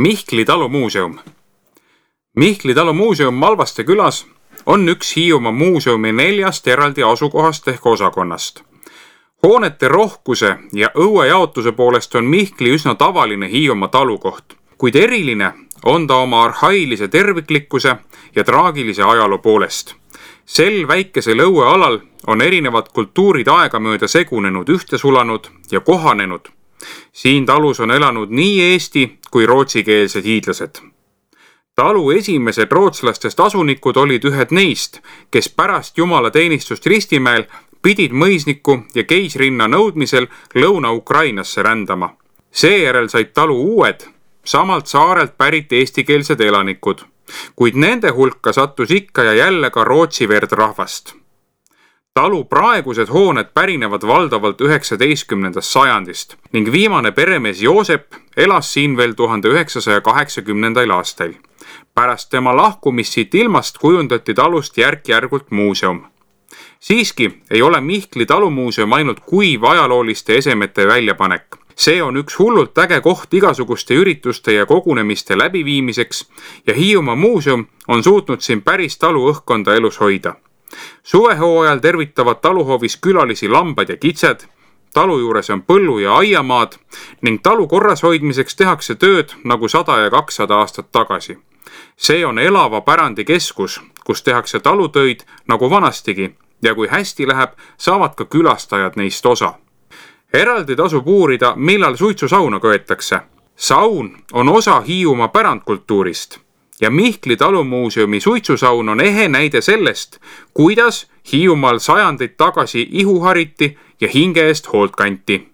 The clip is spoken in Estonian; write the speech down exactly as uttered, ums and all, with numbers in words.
Mihkli talumuuseum. Mihkli talumuuseum Malvaste külas on üks Hiiumaa muuseumi neljast eraldi asukohast ehk osakonnast. Hoonete rohkuse ja õue jaotuse poolest on Mihkli üsna tavaline Hiiumaa talukoht, kuid eriline on ta oma arhailise terviklikkuse ja traagilise ajaloo poolest. Sel väikesel õuealal on erinevad kultuurid aegamööda segunenud, ühte sulanud ja kohanenud. Siin talus on elanud nii eesti kui rootsikeelsed hiidlased. Talu esimesed rootslastest asunikud olid ühed neist, kes pärast jumalateenistust Ristimäel pidid mõisniku ja keisrinna nõudmisel Lõuna-Ukrainasse rändama. Seejärel said talu uued, samalt saarelt pärit eestikeelsed elanikud, kuid nende hulka sattus ikka ja jälle ka rootsi verd rahvast. Talu praegused hooned pärinevad valdavalt üheksateistkümnendast sajandist ning viimane peremees Joosep elas siin veel tuhande üheksasaja kaheksakümnendail aastail. Pärast tema lahkumist siit ilmast kujundati talust järk-järgult muuseum. Siiski ei ole Mihkli talumuuseum ainult kuiv ajalooliste esemete väljapanek. See on üks hullult äge koht igasuguste ürituste ja kogunemiste läbiviimiseks ja Hiiumaa muuseum on suutnud siin päris talu õhkkonda elus hoida. Suvehooajal tervitavad taluhoovis külalisi lambad ja kitsed, talu juures on põllu- ja aiamaad ning talu korras hoidmiseks tehakse tööd nagu sada ja kakssada aastat tagasi. See on elava pärandi keskus, kus tehakse talutöid nagu vanastigi ja kui hästi läheb, saavad ka külastajad neist osa. Eraldi tasub uurida, millal suitsusauna köetakse. Saun on osa Hiiumaa pärandkultuurist ja Mihkli talumuuseumi suitsusaun on ehe näide sellest, kuidas Hiiumaal sajandeid tagasi ihu hariti ja hinge eest hoolt kanti.